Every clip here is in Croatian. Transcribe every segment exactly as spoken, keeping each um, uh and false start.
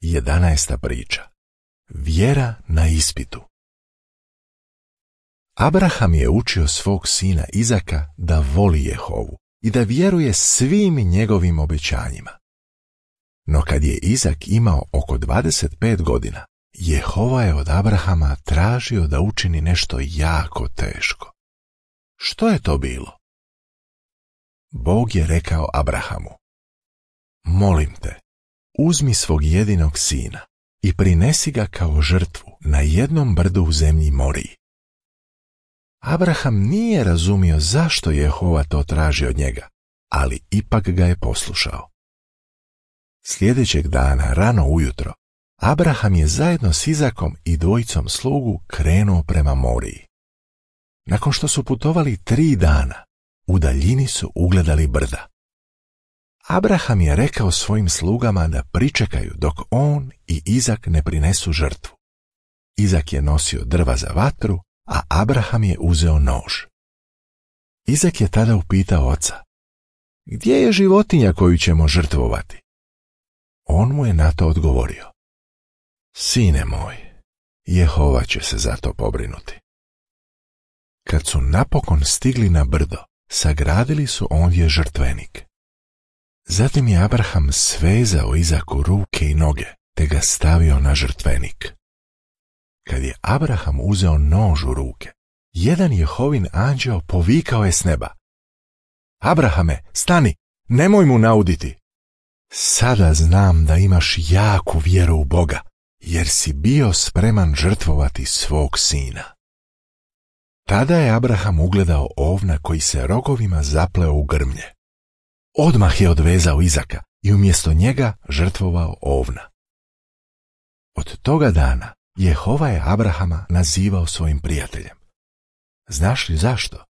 Jedanaesta priča. Vjera na ispitu. Abraham je učio svog sina Izaka da voli Jehovu i da vjeruje svim njegovim obećanjima. No kad je Izak imao oko dvadeset pet godina, Jehova je od Abrahama tražio da učini nešto jako teško. Što je to bilo? Bog je rekao Abrahamu: molim te, uzmi svog jedinog sina i prinesi ga kao žrtvu na jednom brdu u zemlji Moriji. Abraham nije razumio zašto Jehova to traži od njega, ali ipak ga je poslušao. Sljedećeg dana, rano ujutro, Abraham je zajedno s Izakom i dvojicom slugu krenuo prema Moriji. Nakon što su putovali tri dana, u daljini su ugledali brda. Abraham je rekao svojim slugama da pričekaju dok on i Izak ne prinesu žrtvu. Izak je nosio drva za vatru, a Abraham je uzeo nož. Izak je tada upitao oca: gdje je životinja koju ćemo žrtvovati? On mu je na to odgovorio: sine moj, Jehova će se za to pobrinuti. Kad su napokon stigli na brdo, sagradili su ondje žrtvenik. Zatim je Abraham svezao Izaku ruke i noge, te ga stavio na žrtvenik. Kad je Abraham uzeo nož u ruke, jedan Jehovin anđeo povikao je s neba: Abrahame, stani, nemoj mu nauditi. Sada znam da imaš jaku vjeru u Boga, jer si bio spreman žrtvovati svog sina. Tada je Abraham ugledao ovna koji se rogovima zapleo u grmlje. Odmah je odvezao Izaka i umjesto njega žrtvovao ovna. Od toga dana Jehova je Abrahama nazivao svojim prijateljem. Znaš li zašto?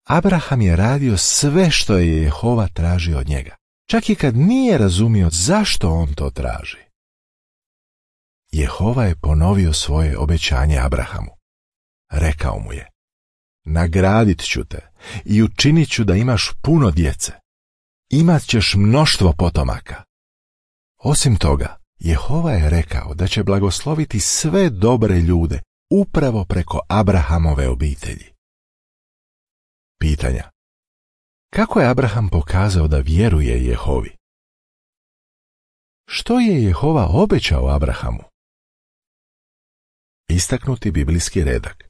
Abraham je radio sve što je Jehova tražio od njega, čak i kad nije razumio zašto on to traži. Jehova je ponovio svoje obećanje Abrahamu. Rekao mu je: nagradit ću te i učinit ću da imaš puno djece. Imat ćeš mnoštvo potomaka. Osim toga, Jehova je rekao da će blagosloviti sve dobre ljude upravo preko Abrahamove obitelji. Pitanja. Kako je Abraham pokazao da vjeruje Jehovi? Što je Jehova obećao Abrahamu? Istaknuti biblijski redak.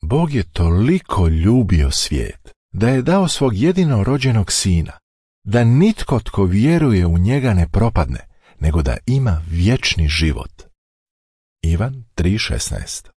Bog je toliko ljubio svijet da je dao svog jedino rođenog sina, da nitko tko vjeruje u njega ne propadne, nego da ima vječni život. Ivan tri šesnaest.